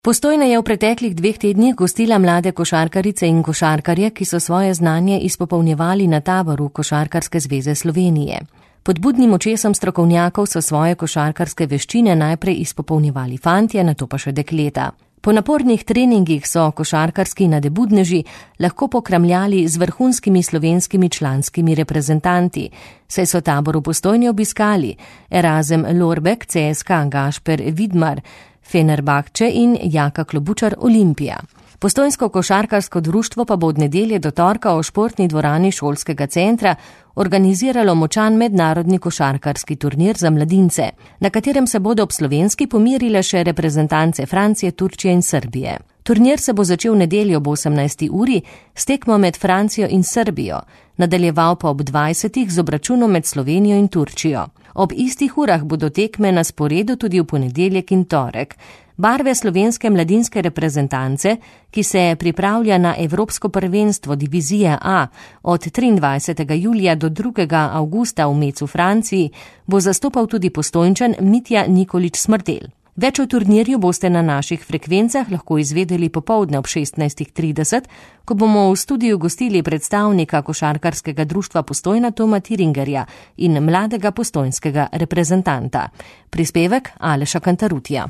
Postojna je v preteklih 2 tednih gostila mlade košarkarice in košarkarje, ki so svoje znanje izpopolnjevali na taboru Košarkarske zveze Slovenije. Pod budnim očesom strokovnjakov so svoje košarkarske veščine najprej izpopolnjevali fantje, nato pa še dekleta. Po napornih treningih so košarkarski nadebudneži lahko pokramljali z vrhunskimi slovenskimi članskimi reprezentanti, saj so tabor v Postojni obiskali Erazem Lorbek, CSKA Gašper Vidmar, Fenerbahče in Jaka Klobučar Olimpija. Postojnsko košarkarsko društvo pa bo od nedelje do torka v športni dvorani šolskega centra organiziralo močan mednarodni košarkarski turnir za mladince, na katerem se bodo ob slovenski pomirile še reprezentance Francije, Turčije in Srbije. Turnir se bo začel v nedeljo ob 18. uri s tekmo med Francijo in Srbijo, nadaljeval pa ob 20. z obračunom med Slovenijo in Turčijo. Ob istih urah bodo tekme na sporedu tudi v ponedeljek in torek. Barve slovenske mladinske reprezentance, ki se pripravlja na Evropsko prvenstvo divizije A od 23. julija do 2. avgusta v Mecu Franciji, bo zastopal tudi Postojnčan Mitja Nikolić Smrdelj. Več o turnirju boste na naših frekvencah lahko izvedeli popoldne ob 16.30, ko bomo v studiu gostili predstavnika košarkarskega društva Postojna Toma Tiringerja in mladega postojnskega reprezentanta. Prispevek Aleša Kantarutija.